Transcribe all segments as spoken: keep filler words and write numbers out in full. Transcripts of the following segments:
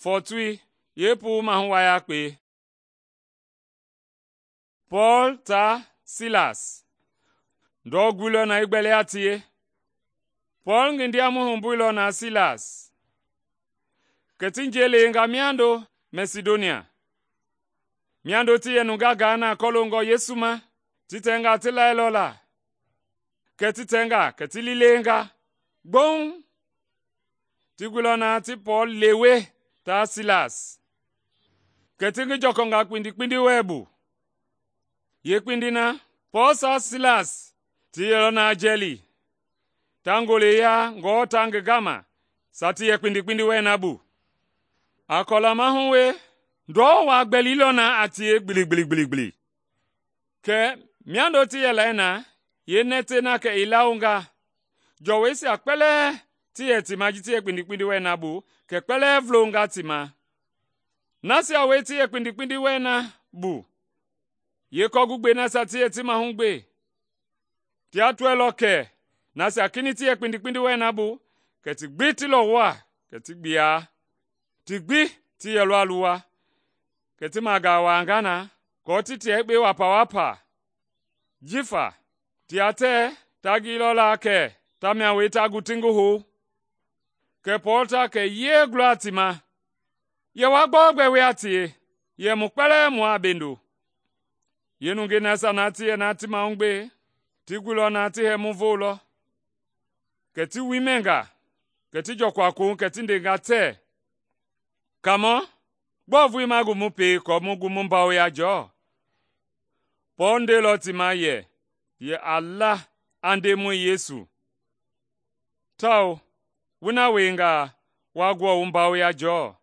fɔɔtui yeepuu mahu wa yakpe. Pɔɔl taa Silas ndɔ guilɔ na i gbɛli a tie. Pɔɔl ngi ndiamɔi humbuilɔ na Silas, kɛ ti njɛi lewenga miando Mɛsidonia. Miando ti yɛ nungaa gaa na kɔloongɔ Yesu ma, ti tɛnga ti lailɔ la. Kɛ ti tɛnga kɛ ti liilenga gboŋ. Ti guilɔ na ti Pɔɔl lewe taa Silas, kɛ ti ngi jɔkɔnga kpindi wɛɛ bu. Yeekpindii na, Pɔɔl saa Silas ti yɛlɔ na jɛɛli, ta ngoleya ngɔɔ ta ngi gama saa ti yɛ kpindi wɛɛ na bu. A kɔla mahu we, ndɔ waa gbɛlilɔ na a tie gbiligbili. Kɛ miando ti yɛlɛi na, yeenɛtɛi na kɛ i lawonga, jɔwɔisia kpɛlɛɛ ti yɛ ti ma ji ti yɛ kpindi wɛɛ na bu, kɛ kpɛlɛɛ vulonga ti ma. Nasia wie ti yɛ kpindi wɛɛ na bu, yeekɔgugbe nasia ti yɛ ti mahu gbe, tia tɔɛilɔ kɛ nasia kinɛiŋ ti yɛ kpindi wɛɛ na bu, kɛ ti gbi ti lɔwɔa, kɛ ti gbia. Ti gbi ti yɛlɔ a luwa, kɛ ti magaa waanga na kɔɔ ti tia yekpe wapawapa. Jifa tia tɛɛ ta gilɔ la kɛ tamia wie ta gu ti ngi hou. Kɛ Pɔɔl ta kɛ yee gulɔ a ti ma, yɛ wa gbɔugbɛ wie a tie, yɛ mu kpɛlɛɛ mua a bendo. Yeenungei nasia na ti yɛ na ti mahugbe, ti guilɔ na ti hɛmu voolɔ, kɛ ti wui mɛnga, kɛ ti jɔkua kouŋ kɛ ti ndenga tɛɛ, “Kaamɔ, gbɔɔ vulii ma gu mu pei aako mu gu mu bawoya jɔɔ?” Pɔɔl ndeilɔ ti ma yɛ, yɛ a la a Ndemɔi Yesu, tawao wu na wiengaa wa guɔ wu bawoya jɔɔ.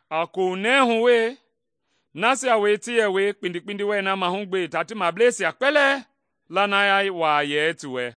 A kounɛɛ hu we, nasia wie ti yɛ wie kpindi wɛɛ na mahugbe ta ti mableisia kpɛlɛɛ lanaya waa yɛɛ ti wɛ.